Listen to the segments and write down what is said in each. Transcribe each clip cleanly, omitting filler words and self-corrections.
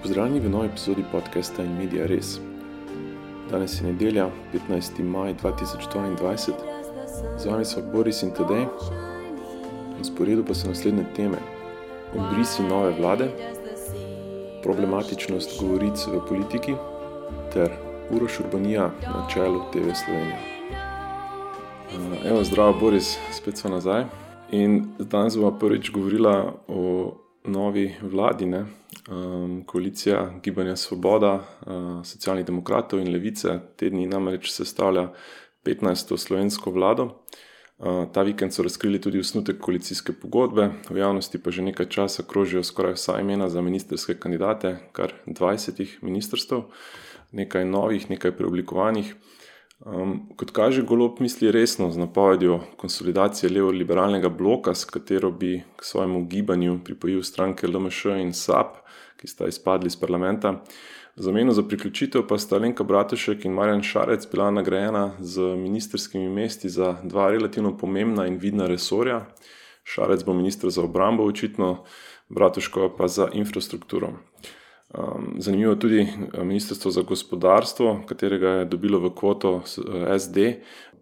Pozdravljeni v novi epizodi podcasta In Media Res. Danes je nedelja, 15. maj 2022. Z vami so Boris in Tadej. Na sporedu pa so naslednje teme: odbrisi nove vlade, problematičnost govoric v politiki ter Uroš Urbanija na čelu TV Slovenija. Evo, zdravo Boris, spet smo nazaj. In danes bomo prvič govorila o novi vladi, koalicija Gibanja Svoboda, Socialnih demokratov in Levice. Te dni namreč sestavlja 15. slovensko vlado. Ta vikend so razkrili tudi osnutek koalicijske pogodbe, v javnosti pa že nekaj časa krožijo skoraj vsa imena za ministrske kandidate, kar 20 ministrstev, nekaj novih, nekaj preoblikovanih. Kot kaže, Golob misli resno z napovedjo konsolidacije levo-liberalnega bloka, s katero bi k svojemu gibanju pripojil stranke LMŠ in SAB, ki sta izpadli iz parlamenta. V zameno za priključitev pa sta Alenka Bratušek in Marjan Šarec bila nagrajena z ministrskimi mesti za dva relativno pomembna in vidna resorja. Šarec bo minister za obrambo očitno, Bratuškova pa za infrastrukturo. Zanimivo tudi ministrstvo za gospodarstvo, katerega je dobilo v kvoto SD,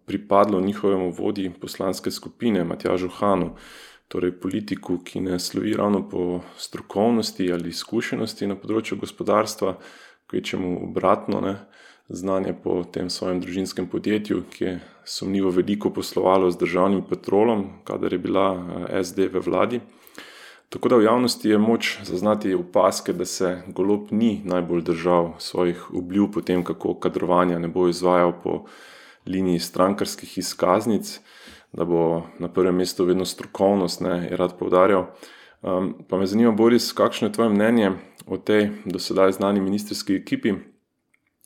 pripadlo njihovemu vodji poslanske skupine Matjažu Hanu, torej politiku, ki ne slovi ravno po strokovnosti ali izkušenosti na področju gospodarstva, kvečemu obratno, znanje po tem svojem družinskem podjetju, ki je sumljivo veliko poslovalo z državnim Petrolom, kadar je bila SD v vladi. Tako da v javnosti je moč zaznati opazke, da se Golob ni najbolj držal svojih obljub o tem, kako kadrovanja ne bo izvajal po liniji strankarskih izkaznic, da bo na prvem mestu vedno strokovnost, je rad poudarjal. Pa me zanima, Boris, kakšno je tvoje mnenje o tej do sedaj znani ministrski ekipi?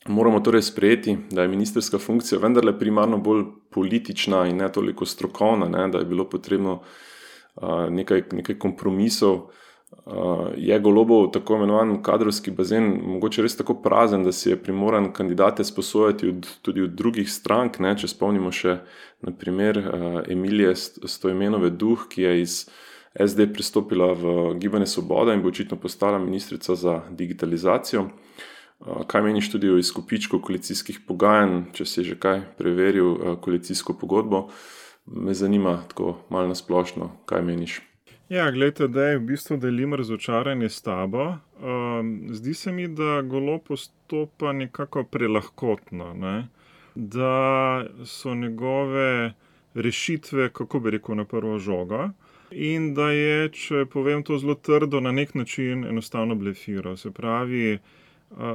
Moramo torej sprejeti, da je ministrska funkcija vendarle primarno bolj politična in ne toliko strokovna, da je bilo potrebno nekaj kompromisov. Je Golobov tako imenovan kadrovski bazen mogoče res tako prazen, da si je primoran kandidate sposojati tudi od drugih strank, če spomnimo še na primer Emilije Stojmenove Duh, ki je iz SD pristopila v Gibanje Svoboda in bo očitno postala ministrica za digitalizacijo. Kaj meniš tudi o izkupičku koalicijskih pogajanj, če si že kaj preveril koalicijsko pogodbo? Me zanima tako malo nasplošno, kaj meniš. Ja, gledajte, da je v bistvu delim razočaranje s tabo. Zdi se mi, da Golob postopa nekako prelahkotno, da so njegove rešitve, kako bi rekel, na prvo žogo, in da je, če povem to zelo trdo, na nek način enostavno blefiral. Se pravi,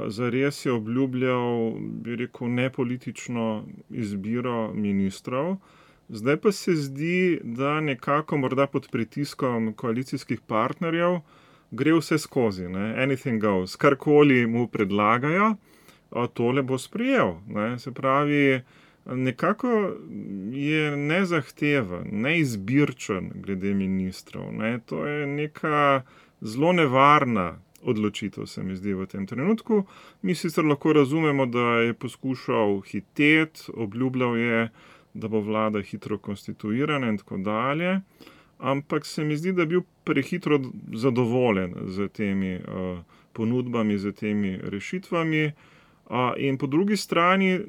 zares je obljubljal, bi rekel, nepolitično izbiro ministrov. Zdaj pa se zdi, da nekako morda pod pritiskom koalicijskih partnerjev gre vse skozi, anything goes, karkoli mu predlagajo, tole bo sprejel. Se pravi, nekako je nezahteven, neizbirčen glede ministrov. To je neka zelo nevarna odločitev, se mi zdi v tem trenutku. Mi sicer lahko razumemo, da je poskušal hiteti, obljubljal je, da bo vlada hitro konstituirana in tako dalje, ampak se mi zdi, da je bil prehitro zadovoljen z temi ponudbami, z temi rešitvami. In po drugi strani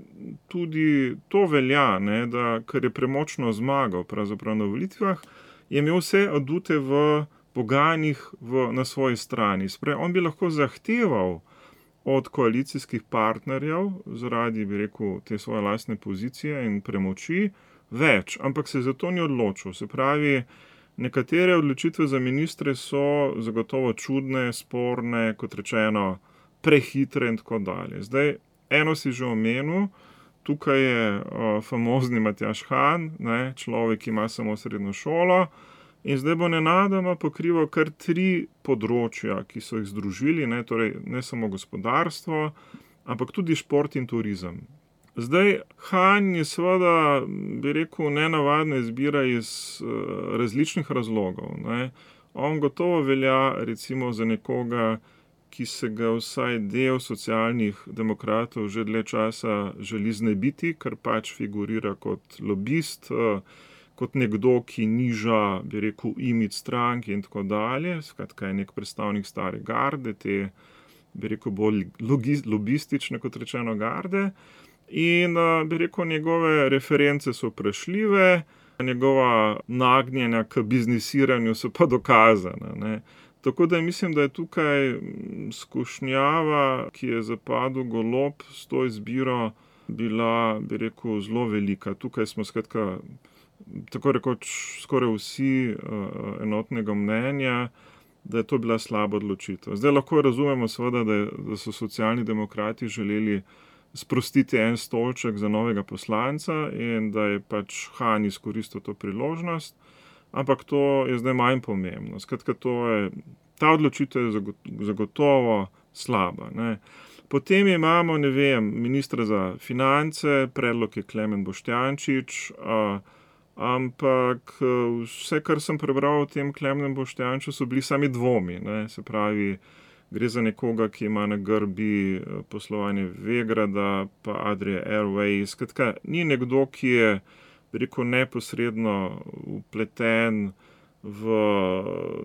tudi to velja, da ker je premočno zmagal pravzaprav na volitvah, je imel vse adute v pogajanjih na svoji strani. On bi lahko zahteval od koalicijskih partnerjev, zaradi, bi rekel, te svoje lastne pozicije in premoči, več, ampak se zato ni odločil. Se pravi, nekatere odločitve za ministre so zagotovo čudne, sporne, kot rečeno, prehitre in tako dalje. Zdaj, eno si že omenil, tukaj je famozni Matjaž Han, človek, ki ima samo srednjo šolo, in zdaj bo nenadoma pokrival kar 3 področja, ki so jih združili, torej ne samo gospodarstvo, ampak tudi šport in turizem. Zdaj, Han je seveda, bi rekel, nenavadna izbira iz različnih razlogov. On gotovo velja recimo za nekoga, ki se ga vsaj del socialnih demokratov že dlje časa želi znebiti, ker pač figurira kot lobist, kot nekdo, ki niža, bi rekel, imidž stranke in tako dalje. Skratka, je nek predstavnik stare garde, te bi rekel, bolj lobistične, kot rečeno, garde. In bi rekel, njegove reference so vprašljive, njegova nagnjenja k biznisiranju so pa dokazana, ne. Tako da mislim, da je tukaj skušnjava, ki je zapadel Golob s to izbiro, bila, bi rekel, zelo velika. Tukaj smo skratka, tako rekoč, skoraj vsi enotnega mnenja, da je to bila slaba odločitev. Zdaj lahko razumemo seveda, da so Socialni demokrati želeli sprostiti en stolček za novega poslanca in da je pač Han izkoristil to priložnost, ampak to je zdaj manj pomembno. Skratka, ta odločitev je zagotovo slaba, ne. Potem imamo, ne vem, ministra za finance, predlog je Klemen Boštjančič, ampak vse, kar sem prebral o tem Klemenu Boštjančiču, so bili sami dvomi, ne. Se pravi, gre za nekoga, ki ima na grbi poslovanje Vegrada pa Adria Airways. Skratka, ni nekdo, ki je, bi rekel, neposredno vpleten v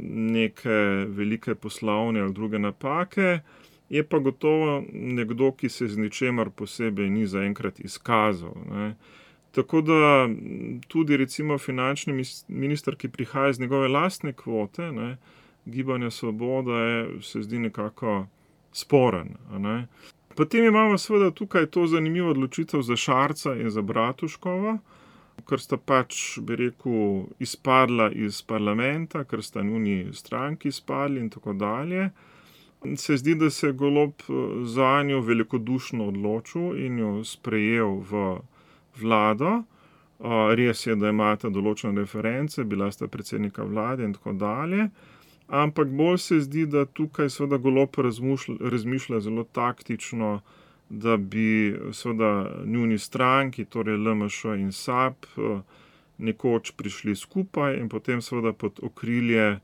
neke velike poslovne ali druge napake, je pa gotovo nekdo, ki se z ničemer posebej ni zaenkrat izkazal, ne. Tako da tudi recimo finančni minister, ki prihaja iz njegove lastne kvote, ne, Gibanja Svoboda, se zdi nekako sporen, ne. Potem imamo seveda tukaj to zanimivo odločitev za Šarca in za Bratuškovo, ker sta pač, bi rekel, izpadla iz parlamenta, ker sta njuni stranki izpadli in tako dalje. Se zdi, da se je Golob zanjo velikodušno odločil in jo sprejel v vlado. Res je, da imata določene reference, bila sta predsednika vlade in tako dalje, ampak bolj se zdi, da tukaj seveda Golob razmišlja zelo taktično, da bi seveda njuni stranki, torej LMŠ in SAB, nekoč prišli skupaj in potem seveda pod okrilje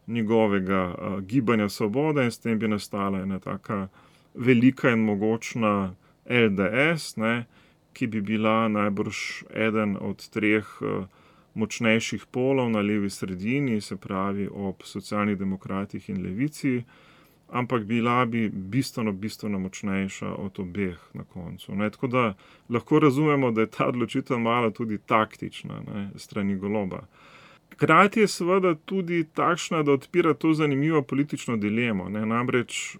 njegovega Gibanja Svoboda in s tem bi nastala ena taka velika in mogočna LDS, ne, ki bi bila najbrž eden od treh močnejših polov na levi sredini, se pravi ob Socialnih demokratih in Levici, ampak bila bi bistveno močnejša od obeh na koncu, ne. Tako da lahko razumemo, da je ta odločitev malo tudi taktična, ne, strani Goloba. Hkrati je seveda tudi takšna, da odpira to zanimivo politično dilemo, ne. Namreč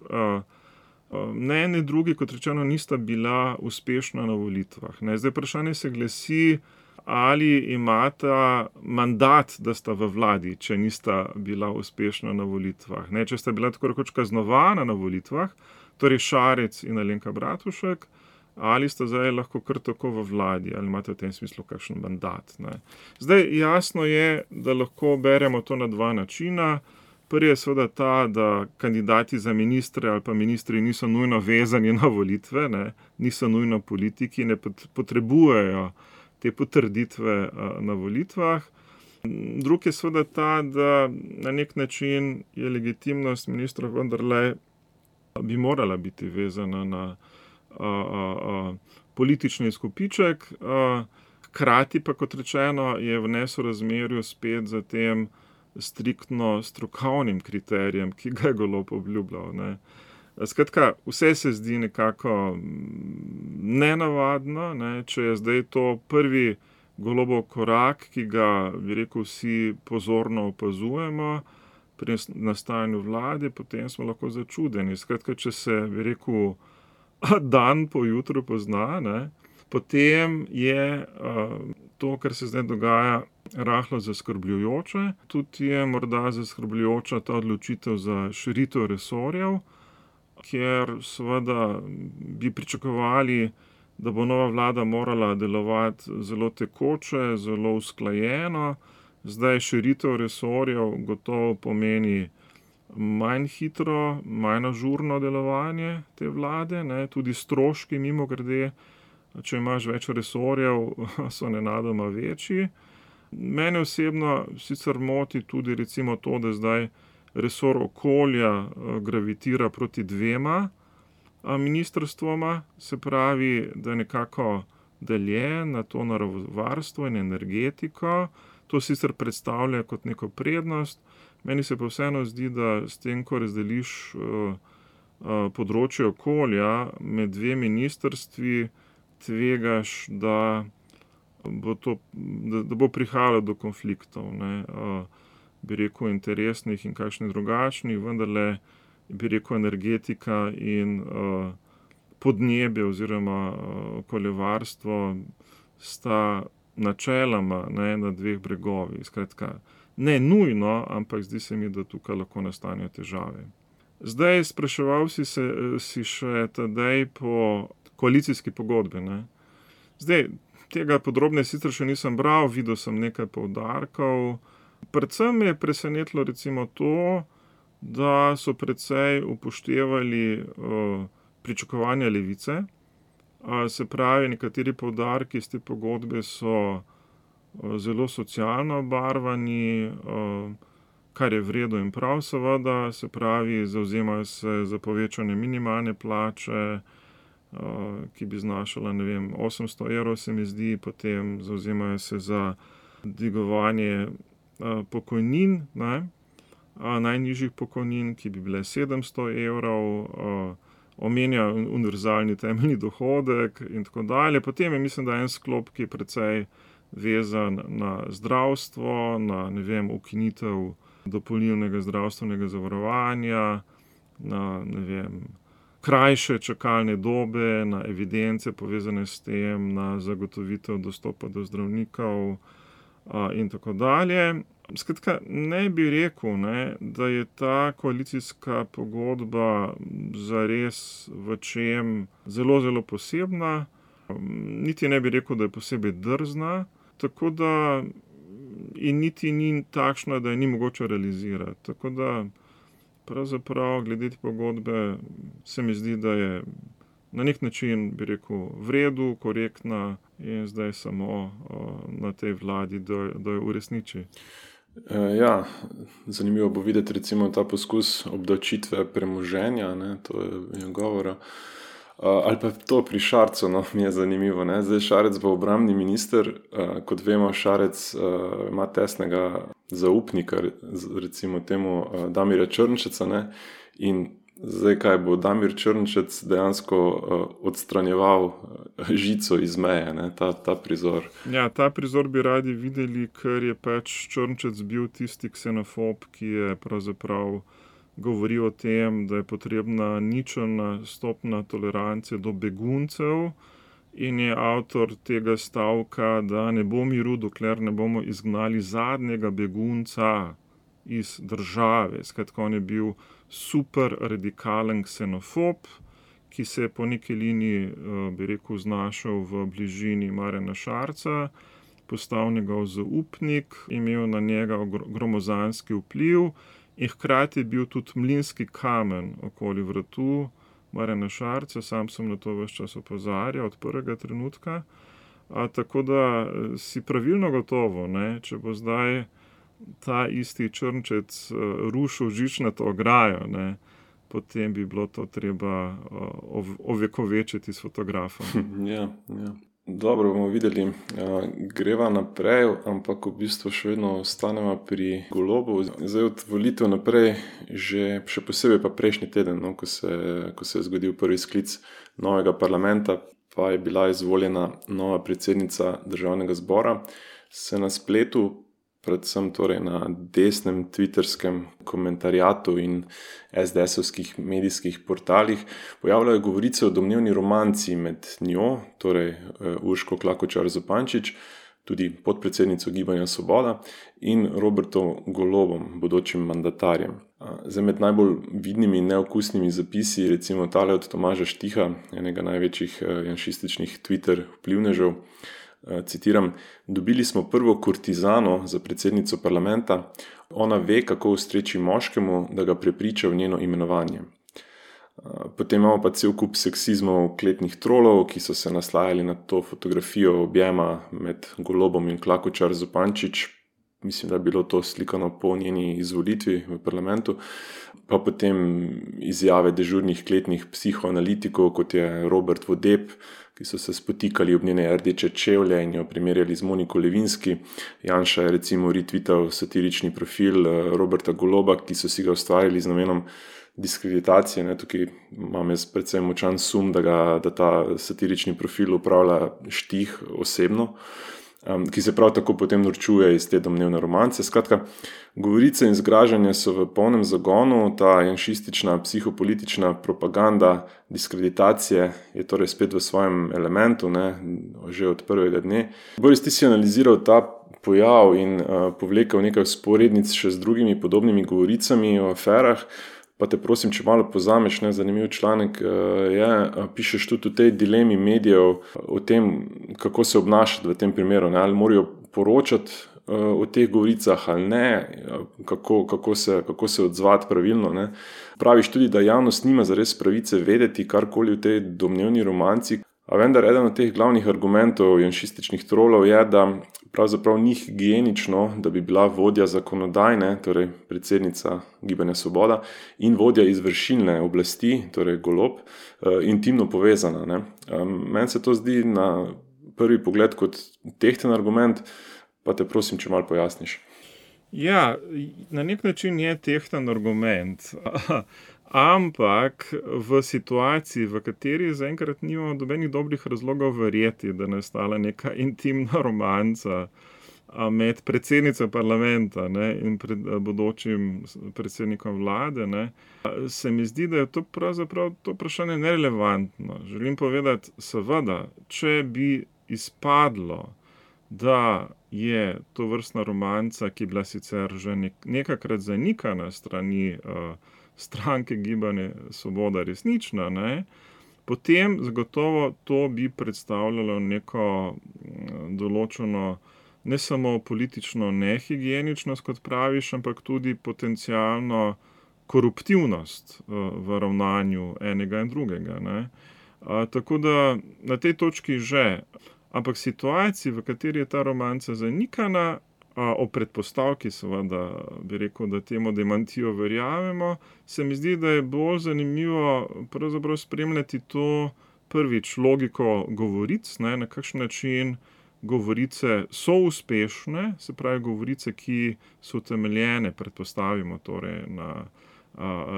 ne eni drugi, kot rečeno, nista bila uspešna na volitvah, ne. Zdaj vprašanje se glasi, ali imata mandat, da sta v vladi, če nista bila uspešna na volitvah, ne. Če sta bila tako rekoč kaznovana na volitvah, torej Šarec in Alenka Bratušek, ali sta zdaj lahko kar tako v vladi, ali imate v tem smislu kakšen mandat, ne. Zdaj jasno je, da lahko beremo to na dva načina. Prvi je seveda ta, da kandidati za ministre ali pa ministri niso nujno vezani na volitve, ne, niso nujno politiki, ne potrebujejo te potrditve na volitvah. Drugi je seveda ta, da na nek način je legitimnost ministra vendarle bi morala biti vezana na politični izkupiček, hkrati pa, kot rečeno, je v nesorazmerju spet za tem striktno strokovnim kriterijem, ki ga je Golob obljubljal, ne. Skratka, vse se zdi nekako nenavadno, ne, če je zdaj to prvi Golobov korak, ki ga, bi rekel, vsi pozorno opazujemo pri nastajanju vlade, potem smo lahko začudeni. Skratka, če se, bi rekel, dan po jutru pozna, ne, potem je to, kar se zdaj dogaja, rahlo zaskrbljujoče. Tudi je morda zaskrbljujoča ta odločitev za širitev resorjev, kjer seveda bi pričakovali, da bo nova vlada morala delovati zelo tekoče, zelo usklajeno. Zdaj širitev resorjev gotovo pomeni manj hitro, manj ažurno delovanje te vlade, ne, tudi stroški, mimogrede, če imaš več resorjev, so nenadoma večji. Mene osebno sicer moti tudi recimo to, da zdaj resor okolja gravitira proti dvema ministrstvoma, se pravi, da je nekako deljen na to naravovarstvo in energetiko. To sicer predstavlja kot neko prednost. Meni se pa vseeno zdi, da s tem, ko razdeliš področje okolja med dve ministrstvi, tvegaš, da bo prihajalo do konfliktov, ne, bi rekel interesnih in kakšnih drugačnih, vendarle bi rekel energetika in podnebje oziroma okoljevarstvo sta načeloma, ne, na dveh bregovih. Skratka, ne nujno, ampak zdi se mi, da tukaj lahko nastanejo težave. Zdaj, spraševal si še Tadej po koalicijski pogodbi, ne. Zdaj, tega podrobneje sicer še nisem bral, videl sem nekaj poudarkov. Predvsem me je presenetilo recimo to, da so precej upoštevali pričakovanja Levice. Se pravi, nekateri poudarki iz te pogodbe so zelo socialno obarvani, kar je v redu in prav seveda, se pravi, zavzemajo se za povečanje minimalne plače, ki bi znašala, 800 evrov, se mi zdi, potem zavzemajo se za dvigovanje pokojnin, ne, najnižjih pokojnin, ki bi bile 700 evrov, omenja univerzalni temeljni dohodek in tako dalje. Potem je, mislim, da en sklop, ki je precej vezan na zdravstvo, na, ukinitev dopolnilnega zdravstvenega zavarovanja, na, krajše čakalne dobe, na evidence povezane s tem, na zagotovitev dostopa do zdravnikov in tako dalje. Skratka, ne bi rekel, ne, da je ta koalicijska pogodba zares v čem zelo, zelo posebna. Niti ne bi rekel, da je posebej drzna, tako da in niti ni takšna, da je ni mogoče realizirati. Tako da pravzaprav glede te pogodbe se mi zdi, da je na nek način, bi rekel, v redu, korektna in zdaj samo na tej vladi, da jo uresniči. Ja, zanimivo bo videti recimo ta poskus obdavčitve premoženja, ne, to je govora. Ali pa to pri Šarcu, no, mi je zanimivo, ne. Zdaj Šarec bo obrambni minister, kot vemo, Šarec ima tesnega zaupnika, recimo temu Damirja Črnčeca, ne, in zdaj kaj bo Damir Črnčec dejansko odstranjeval žico iz meje, ne, ta prizor. Ja, ta prizor bi radi videli, ker je pač Črnčec bil tisti ksenofob, ki je pravzaprav govoril o tem, da je potrebna ničelna stopnja tolerance do beguncev in je avtor tega stavka, da ne bo miru, dokler ne bomo izgnali zadnjega begunca iz države. Skratka, on je bil super radikalen ksenofob, ki se je po neki liniji, bi rekel, znašel v bližini Marjana Šarca, postal njegov zaupnik, imel na njega gromozanski vpliv in hkrati je bil tudi mlinski kamen okoli vratu Marjana Šarca, sam sem na to ves čas opozarjal od prvega trenutka. Tako da si pravilno gotovo, ne, če bo zdaj ta isti Črnčec rušil žičnato ograjo, ne, potem bi bilo to treba ovekovečiti s fotografom. Ja. Dobro, bomo videli. Greva naprej, ampak v bistvu še vedno ostanemo pri Golobu. Zdaj od volitev naprej, še posebej pa prejšnji teden, no, ko se je zgodil prvi sklic novega parlamenta, pa je bila izvoljena nova predsednica Državnega zbora, se na spletu, predvsem torej na desnem twitterskem komentarjatu in SDS-ovskih medijskih portalih, pojavljajo govorice o domnevni romanci med njo, torej Urško Klakočar Zupančič, tudi podpredsednico Gibanja Svoboda, in Robertom Golobom, bodočim mandatarjem. Zdaj med najbolj vidnimi in neokusnimi zapisi, recimo tale od Tomaža Štiha, enega največjih janšističnih Twitter vplivnežev, citiram: "Dobili smo prvo kurtizano za predsednico parlamenta, ona ve, kako ustreči moškemu, da ga prepriča v njeno imenovanje." Potem imamo pa cel kup seksizmov kletnih trolov, ki so se naslajali na to fotografijo objema med Golobom in Klakočar Zupančič. Mislim, da je bilo to slikano po njeni izvolitvi v parlamentu. Pa potem izjave dežurnih kletnih psihoanalitikov, kot je Robert Vodeb, ki so se spotikali ob njene rdeče čevlje in jo primerjali z Moniko Levinski. Janša je recimo retweetal satirični profil Roberta Goloba, ki so si ga ustvarili z namenom diskreditacije. Ne. Tukaj imam jaz predvsem močan sum, da ta satirični profil upravlja Štih osebno, ki se prav tako potem norčuje iz te domnevne romance. Skratka, govorice in zgražanje so v polnem zagonu, ta janšistična psihopolitična propaganda diskreditacije je torej spet v svojem elementu, ne, že od prvega dne. Boris, ti si analiziral ta pojav in povlekel nekaj vzporednic še z drugimi podobnimi govoricami o aferah, pa te prosim, če malo pozameš, ne, zanimiv članek je, pišeš tudi o tej dilemi medijev, o tem, kako se obnašati v tem primeru, ne, ali morajo poročati o teh govoricah ali ne, kako se odzvati pravilno. Ne. Praviš tudi, da javnost nima zares pravice vedeti karkoli v tej domnevni romanci, a vendar eden od teh glavnih argumentov janšističnih trolov je, da pravzaprav ni higienično, da bi bila vodja zakonodajne, torej predsednica Gibanja Svoboda, in vodja izvršilne oblasti, torej Golob, intimno povezana. Ne. Meni se to zdi na prvi pogled kot tehten argument, pa te prosim, če malo pojasniš. Ja, na nek način je tehten argument, ampak v situaciji, v kateri zaenkrat nimamo nobenih dobrih razlogov verjeti, da je nastala neka intimna romanca med predsednico parlamenta, ne, in bodočim predsednikom vlade, ne, se mi zdi, da je to pravzaprav to vprašanje nerelevantno. Želim povedati, seveda, če bi izpadlo, da je to vrstna romanca, ki je bila sicer že nekakrat zanikana strani stranke Gibanje Svoboda resnična, ne, potem zagotovo to bi predstavljalo neko določeno ne samo politično nehigieničnost, kot praviš, ampak tudi potencialno koruptivnost v ravnanju enega in drugega. Ne. Tako da na tej točki že. Ampak situaciji, v kateri je ta romanca zanikana, o predpostavki seveda bi rekel, da temu demantijo verjamemo, se mi zdi, da je bolj zanimivo pravzaprav spremljati to prvič logiko govoric, ne, na kakšen način govorice so uspešne, se pravi govorice, ki so utemeljene, predpostavimo torej na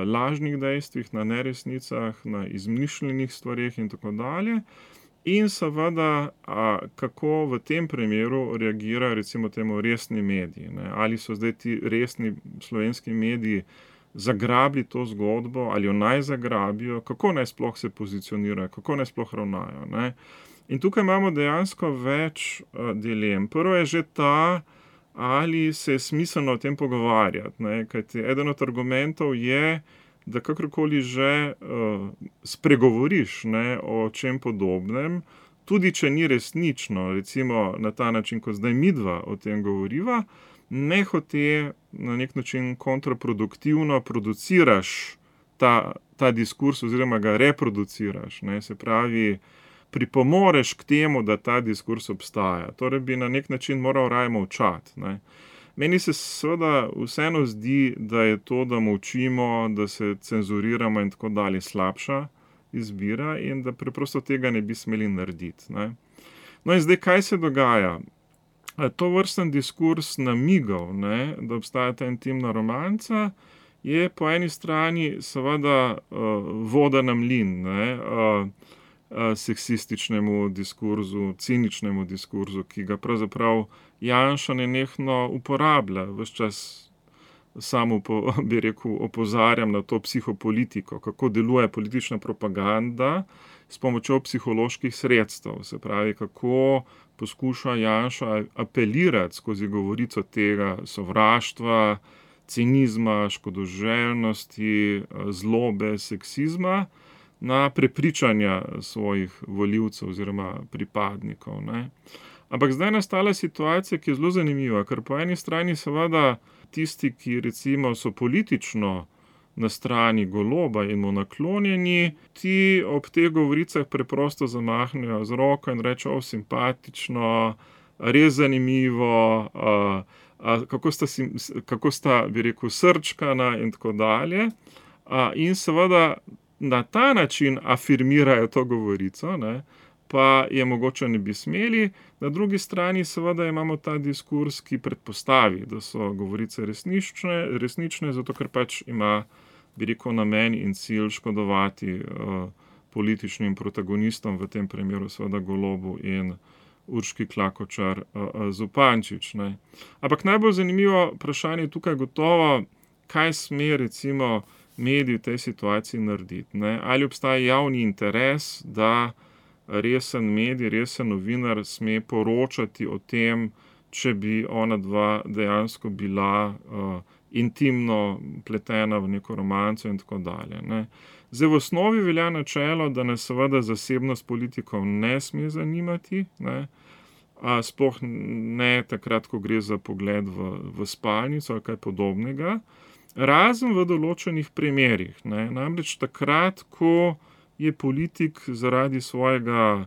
lažnih dejstvih, na neresnicah, na izmišljenih stvareh in tako dalje. In seveda, kako v tem primeru reagirajo recimo temu resni mediji, ne? Ali so zdaj ti resni slovenski mediji zagrabili to zgodbo, ali jo naj zagrabijo, kako naj sploh se pozicionirajo, kako naj sploh ravnajo, ne? In tukaj imamo dejansko več dilem. Prvo je že ta, ali se je smiselno o tem pogovarjati, ne? Kajti eden od argumentov je, da kakorkoli že spregovoriš, ne, o čem podobnem, tudi če ni resnično, recimo na ta način, kot zdaj midva o tem govoriva, nehote na nek način kontraproduktivno produciraš ta diskurs oziroma ga reproduciraš, ne, se pravi, pripomoreš k temu, da ta diskurs obstaja. Torej bi na nek način moral raje molčati, ne. Meni se seveda vseeno zdi, da je to, da molčimo, da se cenzuriramo in tako dalje, slabša izbira in da preprosto tega ne bi smeli narediti, ne. No in zdaj, kaj se dogaja? To vrsten diskurs namigov, ne, da obstaja ta intimna romanca, je po eni strani seveda voda na mlin, ne, seksističnemu diskurzu, ciničnemu diskurzu, ki ga pravzaprav Janša nenehno uporablja. Ves čas samo, bi rekel, opozarjam na to psihopolitiko, kako deluje politična propaganda s pomočjo psiholoških sredstev. Se pravi, kako poskuša Janša apelirati skozi govorico tega sovraštva, cinizma, škodoželjnosti, zlobe, seksizma na prepričanja svojih volivcev oziroma pripadnikov, ne. Ampak zdaj je nastala situacija, ki je zelo zanimiva, ker po eni strani seveda tisti, ki recimo so politično na strani Goloba in mu naklonjeni, ti ob teh govoricah preprosto zamahnejo z roko in rečejo, simpatično, res zanimivo, kako sta, bi rekel, srčkana in tako dalje. In seveda na ta način afirmirajo to govorico, ne, pa je mogoče ne bi smeli. Na drugi strani seveda imamo ta diskurs, ki predpostavi, da so govorice resnične, zato ker pač ima bi rekel, namen in cilj škodovati političnim protagonistom, v tem primeru seveda Golobu in Urški Klakočar Zupančič. Ne. Ampak najbolj zanimivo vprašanje tukaj gotovo, kaj sme recimo mediji v tej situaciji narediti. Ne. Ali obstaja javni interes, da resen medij, resen novinar sme poročati o tem, če bi ona dva dejansko bila intimno pletena v neko romanco in tako dalje. Ne. Zdaj v osnovi velja načelo, da nas seveda zasebnost politikov ne sme zanimati, ne. Sploh ne takrat, ko gre za pogled v spalnico ali kaj podobnega, razen v določenih primerih. Ne. Namreč takrat, ko je politik zaradi svojega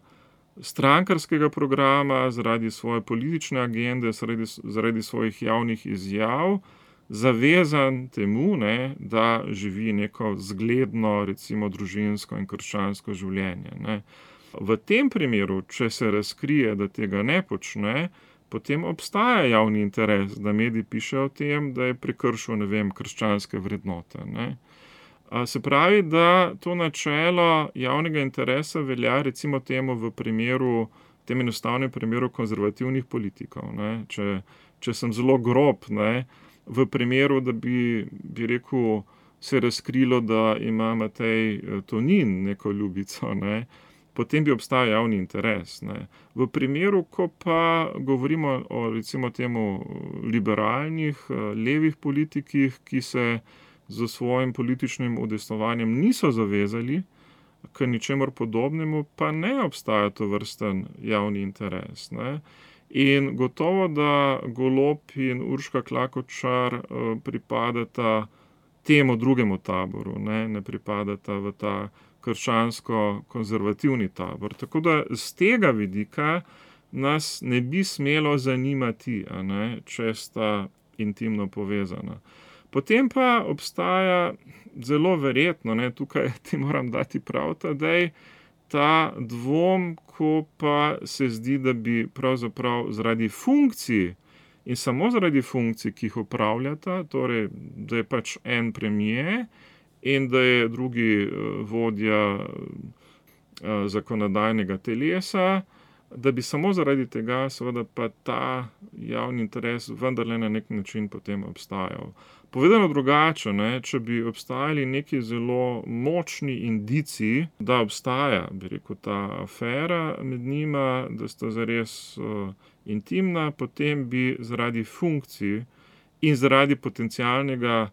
strankarskega programa, zaradi svoje politične agende, zaradi svojih javnih izjav zavezan temu, ne, da živi neko zgledno, recimo družinsko in krščansko življenje. Ne. V tem primeru, če se razkrije, da tega ne počne, potem obstaja javni interes, da mediji pišejo o tem, da je prekršil, ne vem, krščanske vrednote. Ne. Se pravi, da to načelo javnega interesa velja recimo temu v primeru, tem enostavnem primeru konzervativnih politikov. Ne. Če sem zelo grob, ne, v primeru, da bi rekel, se razkrilo, da ima Matej Tonin neko ljubico, ne, potem bi obstajal javni interes. Ne. V primeru, ko pa govorimo o recimo temu liberalnih, levih politikih, ki se z svojim političnim udejstvovanjem niso zavezali k ničemur podobnemu, pa ne obstaja tovrsten javni interes. Ne. In gotovo, da Golob in Urška Klakočar pripadata temu drugemu taboru, ne pripadata v ta krščansko-konzervativni tabor. Tako da z tega vidika nas ne bi smelo zanimati, če sta intimno povezana. Potem pa obstaja zelo verjetno, tukaj ti moram dati prav Tadej, ta dvom, ko pa se zdi, da bi pravzaprav zaradi funkcij in samo zaradi funkcij, ki jih opravljata, torej, da je pač en premier in da je drugi vodja zakonodajnega telesa, da bi samo zaradi tega seveda pa ta javni interes vendarle na nek način potem obstajal. Povedano drugače, če bi obstajali neki zelo močni indici, da obstaja, bi rekel, ta afera med njima, da sta zares intimna, potem bi zaradi funkcij in zaradi potencialnega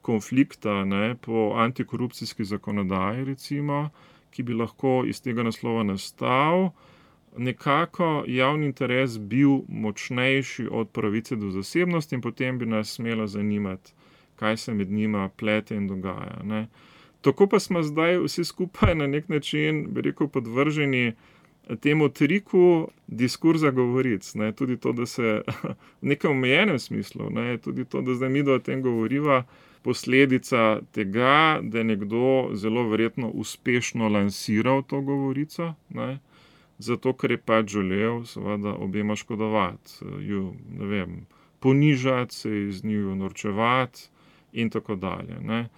konflikta, po antikorupcijski zakonodaji recimo, ki bi lahko iz tega naslova nastal, nekako javni interes bil močnejši od pravice do zasebnosti in potem bi nas smelo zanimati, kaj se med njima plete in dogaja. Ne. Tako pa smo zdaj vsi skupaj na nek način, bi rekel, podvrženi temu triku diskurza govoric. Ne. Tudi to, da se v nekem omejenem smislu, tudi to, da zdaj midva o tem govoriva, posledica tega, da je nekdo zelo verjetno uspešno lansiral to govorico, ne. Zato, ker je pač želel seveda obema škodovati, ju, ne vem, ponižati, se iz njiju norčevati in tako dalje. Ne.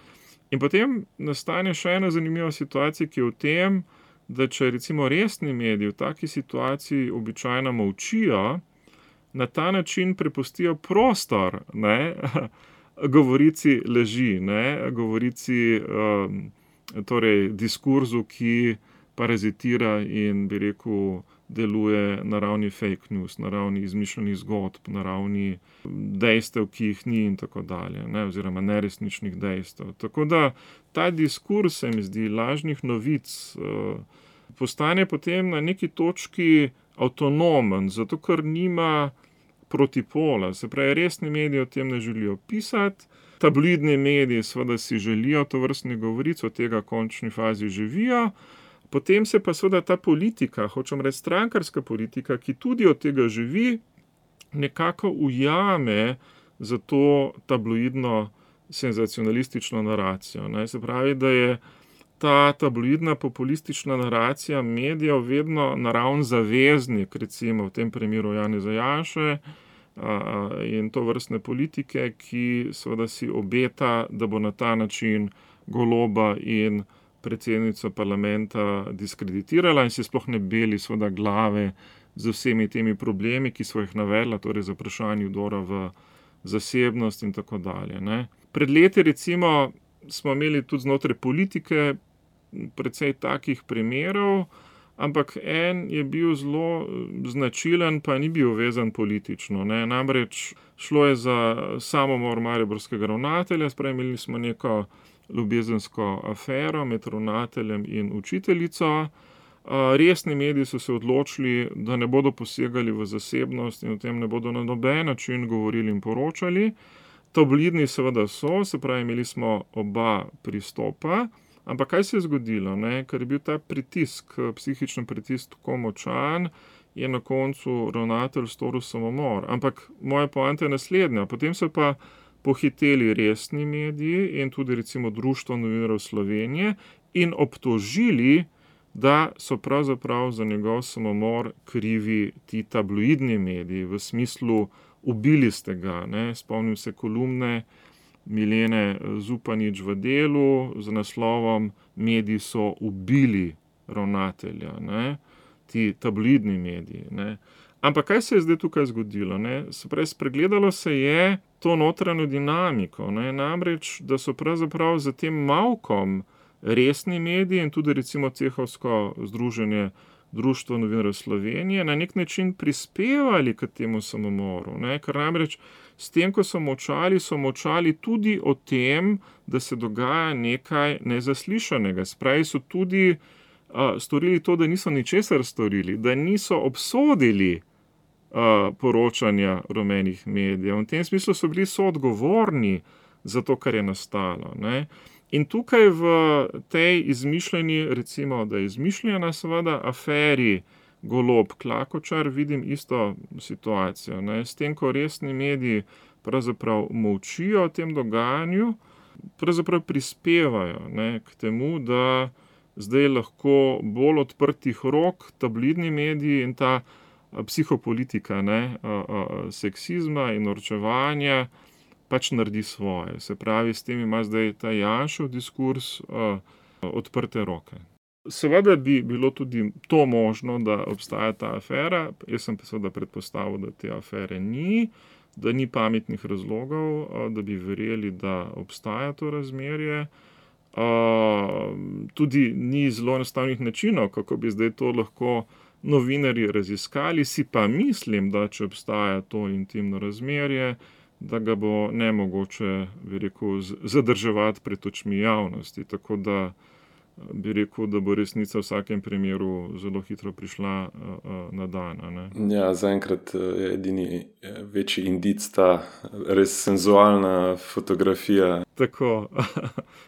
In potem nastane še ena zanimiva situacija, ki je v tem, da če recimo resni mediji v taki situaciji običajno molčijo, na ta način prepustijo prostor, govorici laži, govorici, torej diskurzu, ki parazitira in, bi rekel, deluje na ravni fake news, na ravni izmišljenih zgodb, na ravni dejstev, ki jih ni in tako dalje, oziroma neresničnih dejstev. Tako da ta diskurz, se mi zdi, lažnih novic postane potem na neki točki avtonomen, zato ker nima protipola. Se pravi, resni mediji o tem ne želijo pisati, tabloidni mediji seveda si želijo tovrstnih govoric, od tega v končni fazi živijo. Potem se pa seveda ta politika, hočem reči strankarska politika, ki tudi od tega živi, nekako ujame za to tabloidno senzacionalistično naracijo. Se pravi, da je ta tabloidna populistična naracija medijev vedno naravni zaveznik, recimo v tem primeru Janeza Janše in tovrstne politike, ki seveda si obeta, da bo na ta način Goloba in predsednico parlamenta diskreditirala in si sploh ne beli seveda glave z vsemi temi problemi, ki so jih navedla, torej za vprašanje vdora v zasebnost in tako dalje. Ne. Pred leti recimo smo imeli tudi znotraj politike precej takih primerov, ampak en je bil zelo značilen, pa ni bil vezan politično. Ne. Namreč šlo je za samomor mariborskega ravnatelja, imeli smo neko ljubezensko afero med ravnateljem in učiteljico. Resni mediji so se odločili, da ne bodo posegali v zasebnost in o tem ne bodo na noben način govorili in poročali. Tabloidni seveda so, se pravi, imeli smo oba pristopa, ampak kaj se je zgodilo? Ne? Ker je bil ta pritisk, psihični pritisk tako močan, je na koncu ravnatelj storil samomor. Ampak moja poanta je naslednja, potem so pa pohiteli resni mediji in tudi recimo Društvo novinarjev Slovenije in obtožili, da so pravzaprav za njegov samomor krivi ti tabloidni mediji, v smislu ubili ste ga. Ne? Spomnim se kolumne Milene Zupanič v Delu z naslovom Mediji so ubili ravnatelja, ne? Ti tabloidni mediji. Ne? Ampak kaj se je zdaj tukaj zgodilo? Ne? Se pravi, spregledalo se je to notranjo dinamiko, ne? Namreč, da so pravzaprav za tem mavkom resni mediji in tudi recimo cehovsko združenje Društvo novinarjev Slovenije na nek način prispevali k temu samomoru. Ne? Ker namreč s tem, ko so molčali tudi o tem, da se dogaja nekaj nezaslišanega. Spravi so tudi storili to, da niso ničesar storili, da niso obsodili poročanja rumenih medijev. V tem smislu so bili soodgovorni za to, kar je nastalo. Ne? In tukaj v tej izmišljeni, recimo, da je izmišljena seveda aferi Golob-Klakočar, vidim isto situacijo. Ne? S tem, ko resni mediji pravzaprav molčijo o tem dogajanju, pravzaprav prispevajo, ne, k temu, da zdaj lahko bolj odprtih rok tabloidni mediji in ta psihopolitika, ne, seksizma in norčevanja pač naredi svoje. Se pravi, s tem ima zdaj ta Janšev diskurs odprte roke. Seveda bi bilo tudi to možno, da obstaja ta afera. Jaz sem seveda predpostavil, da te afere ni, da ni pametnih razlogov, da bi verjeli, da obstaja to razmerje. Tudi ni zelo enostavnih načinov, kako bi zdaj to lahko novinarji raziskali. Si pa mislim, da če obstaja to intimno razmerje, da ga bo nemogoče, bi rekel, zadrževati pred očmi javnosti. Tako da bi rekel, da bo resnica v vsakem primeru zelo hitro prišla na dan. Ne? Ja, zaenkrat je edini večji indic ta res senzualna fotografija. Tako,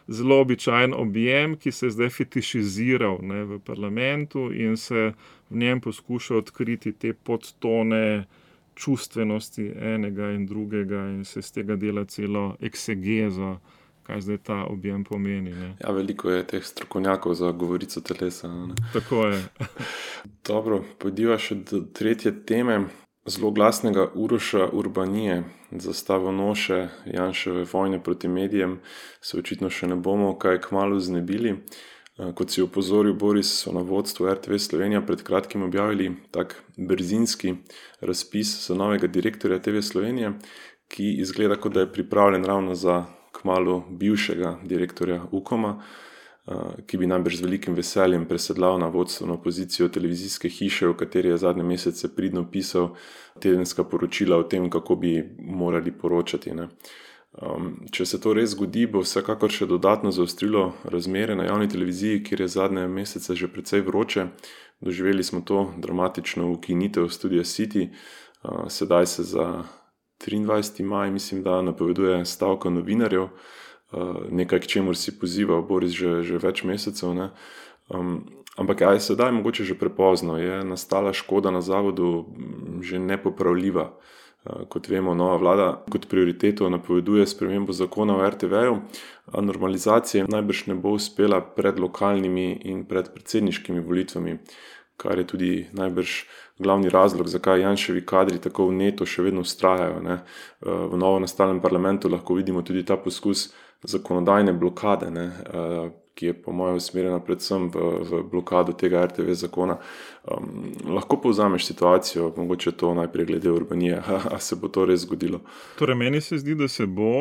zelo običajen objem, ki se je zdaj fetišiziral, ne, v parlamentu in se v njem poskuša odkriti te podtone čustvenosti enega in drugega in se z tega dela celo eksegezo, kaj zdaj ta objem pomeni. Ne. Ja, veliko je teh strokovnjakov za govorico telesa. Ne. Tako je. Dobro, pojdiva še do tretje teme. Zelo glasnega Uroša Urbanije, zastavonoše Janševe vojne proti medijem, se očitno še ne bomo kaj kmalu znebili. Kot si opozoril Boris, so na vodstvu RTV Slovenija pred kratkim objavili tak brzinski razpis za novega direktorja TV Slovenije, ki izgleda, kot da je pripravljen ravno za kmalu bivšega direktorja Ukoma, ki bi najbrž z velikim veseljem presedlal na vodstveno pozicijo televizijske hiše, v kateri je zadnje mesece pridno pisal tedenska poročila o tem, kako bi morali poročati. Ne. Če se to res zgodi, bo vsekakor še dodatno zaostrilo razmere na javni televiziji, kjer je zadnje mesece že precej vroče. Doživeli smo to dramatično ukinitev Studia City, sedaj se za 23. maj, mislim, da napoveduje stavka novinarjev, nekaj, k čemur si pozival Boris že več mesecev. Ne? Ampak je sedaj mogoče že prepozno, je nastala škoda na zavodu že nepopravljiva. Kot vemo, nova vlada kot prioriteto napoveduje spremembo zakona o RTV-ju, a normalizacija najbrž ne bo uspela pred lokalnimi in pred predsedniškimi volitvami, kar je tudi najbrž glavni razlog, zakaj Janševi kadri tako vneto še vedno vztrajajo. Ne. V novo nastalem parlamentu lahko vidimo tudi ta poskus zakonodajne blokade, ne, ki je po mojem usmerjena predvsem v blokado tega RTV zakona. Lahko povzameš situacijo, mogoče to najprej glede Urbanije, a se bo to res zgodilo? Torej, meni se zdi, da se bo.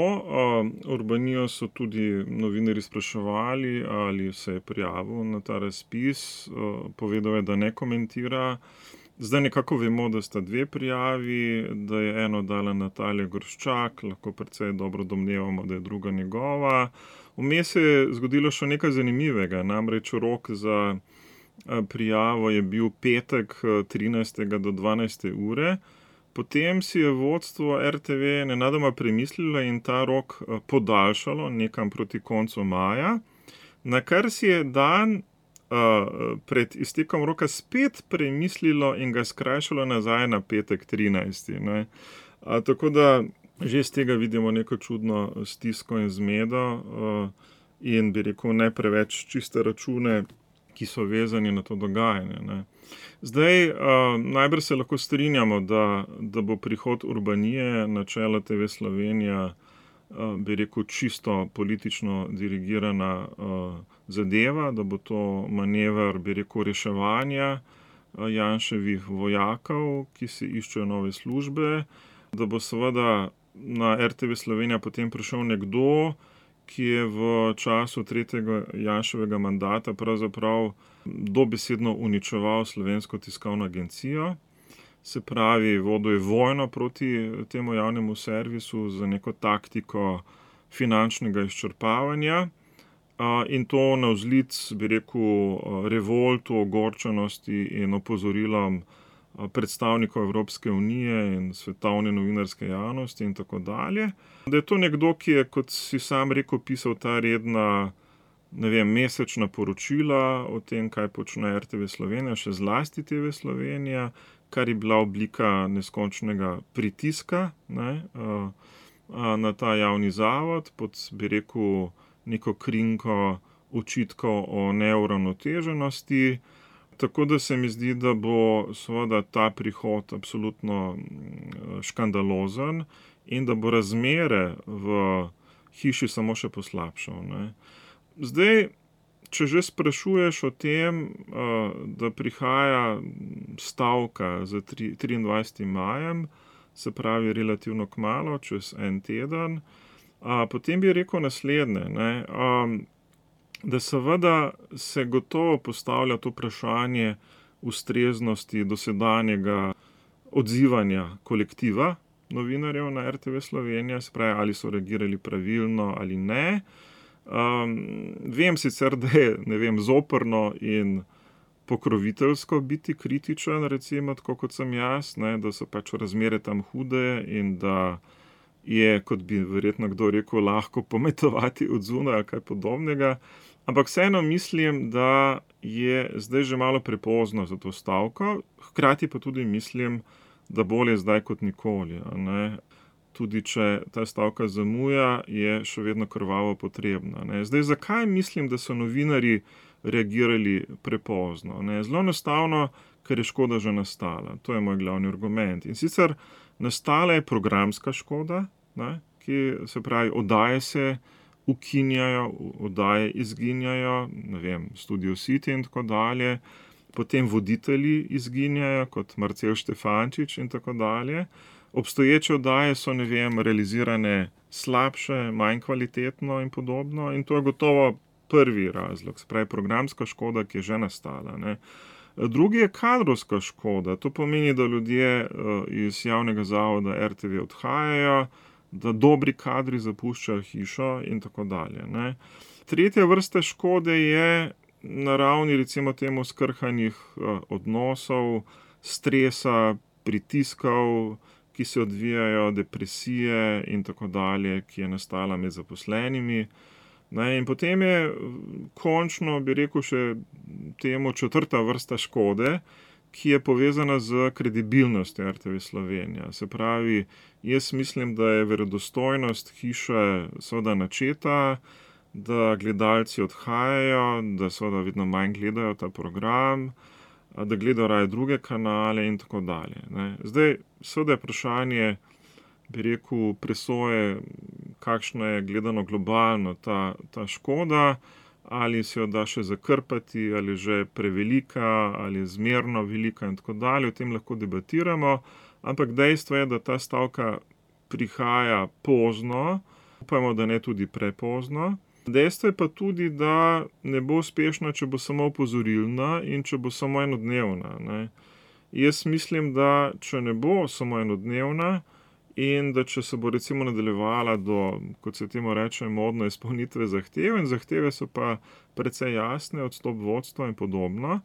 Urbanijo so tudi novinarji spraševali, ali se je prijavil na ta razpis. Povedal je, da ne komentira. Zdaj nekako vemo, da sta 2 prijavi, da je eno dala Natalija Gorščak, lahko precej dobro domnevamo, da je druga njegova. Vmes se je zgodilo še nekaj zanimivega, namreč rok za prijavo je bil petek 13. do 12. ure. Potem si je vodstvo RTV nenadoma premislilo in ta rok podaljšalo nekam proti koncu maja, na kar si je dan pred iztekom roka spet premislilo in ga skrajšalo nazaj na petek 13. Ne. Tako da že z tega vidimo neko čudno stisko in zmedo in bi rekel ne preveč čiste račune, ki so vezani na to dogajanje. Ne. Zdaj, najbrž se lahko strinjamo, da bo prihod Urbanije na čelo TV Slovenija, bi rekel, čisto politično dirigirana zadeva, da bo to manever, bi rekel, reševanja Janševih vojakov, ki si iščejo nove službe, da bo seveda na RTV Slovenija potem prišel nekdo, ki je v času 3. Janševega mandata pravzaprav dobesedno uničeval Slovensko tiskovno agencijo. Se pravi, vodil je vojno proti temu javnemu servisu z neko taktiko finančnega izčrpavanja in to navzlic, bi rekel, revoltu, ogorčenosti in opozorilom predstavnikov Evropske unije in svetovne novinarske javnosti in tako dalje. Da je to nekdo, ki je, kot si sam rekel, pisal ta redna, ne vem, mesečna poročila o tem, kaj počne RTV Slovenija, še zlasti TV Slovenija, kar je bila oblika neskončnega pritiska, ne, na ta javni zavod pod, bi rekel, neko krinko očitkov o neuravnoteženosti. Tako da se mi zdi, da bo seveda ta prihod absolutno škandalozen in da bo razmere v hiši samo še poslabšal. Ne. Zdaj, če že sprašuješ o tem, da prihaja stavka za 23. majem, se pravi relativno kmalu, čez en teden, potem bi rekel naslednje, ne. Da seveda se gotovo postavlja to vprašanje ustreznosti dosedanjega odzivanja kolektiva novinarjev na RTV Slovenija, se pravi, ali so reagirali pravilno ali ne. Vem sicer, da je, ne vem, zoprno in pokroviteljsko biti kritičen, recimo, tako kot sem jaz, ne, da so pač razmere tam hude in da je, kot bi verjetno kdo rekel, lahko pometovati od zunaj ali kaj podobnega. Ampak vseeno mislim, da je zdaj že malo prepozno za to stavko, hkrati pa tudi mislim, da bolje zdaj kot nikoli. Ne. Tudi če ta stavka zamuja, je še vedno krvavo potrebna. Ne. Zdaj, zakaj mislim, da so novinarji reagirali prepozno? Ne. Zelo enostavno, ker je škoda že nastala. To je moj glavni argument. In sicer nastala je programska škoda, ne, ki se pravi, oddaje se ukinjajo, oddaje izginjajo, ne vem, Studio City in tako dalje, potem voditelji izginjajo, kot Marcel Štefančič in tako dalje. Obstoječe oddaje so, ne vem, realizirane slabše, manj kvalitetno in podobno in to je gotovo prvi razlog, se pravi programska škoda, ki je že nastala. Ne. Drugi je kadrovska škoda, to pomeni, da ljudje iz javnega zavoda RTV odhajajo, da dobri kadri zapuščajo hišo in tako dalje. Ne. Tretja vrsta škode je na ravni, recimo temu, skrhanih odnosov, stresa, pritiskov, ki se odvijajo, depresije in tako dalje, ki je nastala med zaposlenimi. Ne, in potem je končno, bi rekel, še temu četrta vrsta škode, ki je povezana z kredibilnostjo RTV Slovenija. Se pravi, jaz mislim, da je verodostojnost hiše seveda načeta, da gledalci odhajajo, da seveda vedno manj gledajo ta program, da gledajo raje druge kanale in tako dalje. Ne. Zdaj, seveda je vprašanje, bi rekel, presoje kakšna je gledano globalno ta škoda, ali se jo da še zakrpati, ali že prevelika, ali zmerno velika in tako dalje. O tem lahko debatiramo, ampak dejstvo je, da ta stavka prihaja pozno, upajmo, da ne tudi prepozno. Dejstvo je pa tudi, da ne bo uspešna, če bo samo opozorilna in če bo samo enodnevna, ne. Jaz mislim, da če ne bo samo enodnevna in da če se bo recimo nadaljevala do, kot se temu reče, modno izpolnitve zahtev, in zahteve so pa precej jasne, odstop vodstva in podobno,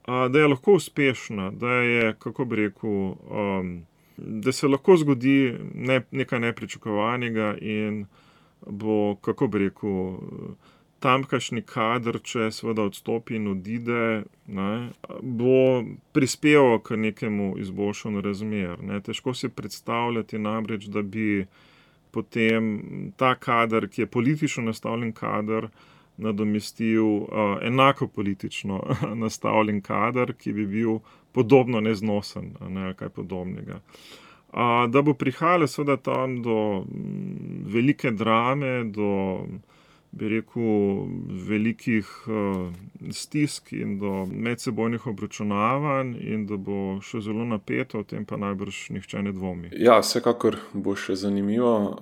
da je lahko uspešna, da je, kako bi rekel, da se lahko zgodi nekaj nepričakovanega in bo, kako bi rekel, tamkajšnji kader, če seveda odstopi in odide, ne, bo prispeval k nekemu izboljšanju razmer, ne. Težko si predstavljati namreč, da bi potem ta kader, ki je politično nastavljen kader, nadomestil enako politično nastavljen kader, ki bi bil podobno neznosen, ne, ali kaj podobnega. Da bo prihajalo seveda tam do velike drame, do, bi rekel, velikih stisk in do medsebojnih obračunavanj in da bo še zelo napeto, o tem pa najbrž nihče ne dvomi. Ja, vsekakor bo še zanimivo.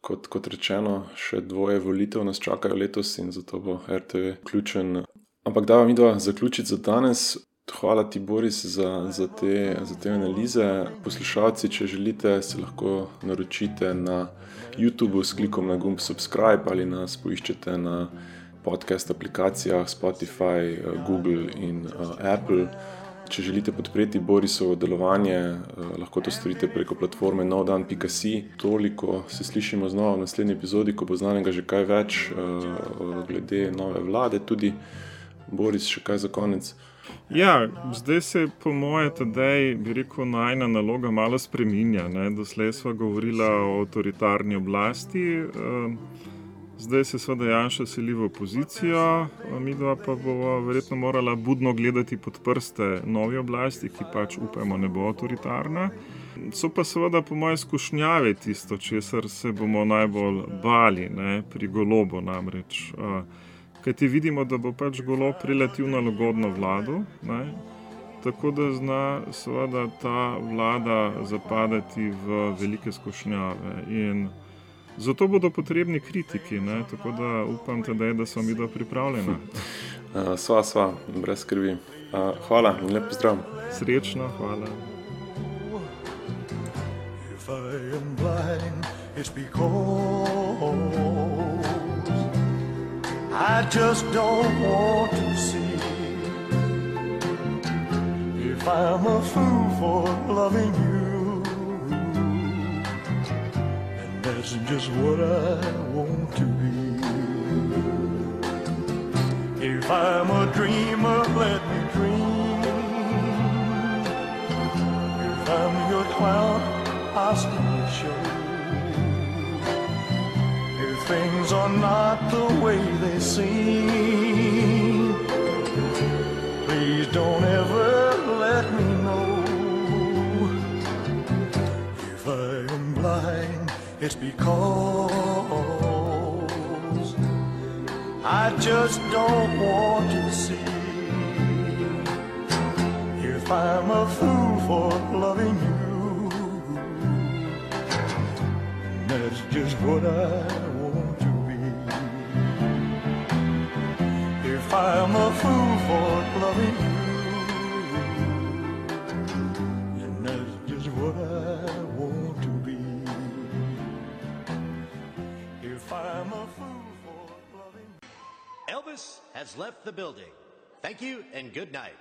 Kot rečeno, še 2 volitev nas čakajo letos in zato bo RTV vključen. Ampak dajva midva zaključiti za danes. Hvala ti, Boris, za te analize. Poslušalci, če želite, se lahko naročite na YouTubeu s klikom na gumb subscribe ali nas poiščete na podcast aplikacijah Spotify, Google in Apple. Če želite podpreti Borisovo delovanje, lahko to storite preko platforme novdan.si. Toliko, se slišimo znova v naslednji epizodi, ko bo znanega že kaj več glede nove vlade. Tudi, Boris, še kaj za konec? Ja, zdaj se po moje Tadej, bi rekel, najina naloga malo spreminja, ne. Doslej sva govorila o avtoritarni oblasti, zdaj se seveda Janša seli v opozicijo, midva pa bova verjetno morala budno gledati pod prste novi oblasti, ki pač upajmo ne bo avtoritarna. So pa seveda po moje skušnjave tisto, česar se bomo najbolj bali, ne, pri Golobu namreč. Kajti vidimo, da bo pač Golob relativno lagodno vladal, ne, tako da zna seveda ta vlada zapadati v velike skušnjave in zato bodo potrebni kritiki, ne, tako da upam Tadej, da sva midva pripravljena. Sva, brez skrbi. Hvala in lep pozdrav. Srečno, hvala. If I am blind, it's because I just don't want to see. If I'm a fool for loving you, and that's just what I want to be. If I'm a dreamer, let me dream. If I'm your clown, I'll still show. Things are not the way they seem. Please don't ever let me know. If I am blind, it's because I just don't want to see. If I'm a fool for loving you, that's just what I want to be. If I'm a fool for loving you, and that's just what I want to be. If I'm a fool for loving you. Elvis has left the building. Thank you and good night.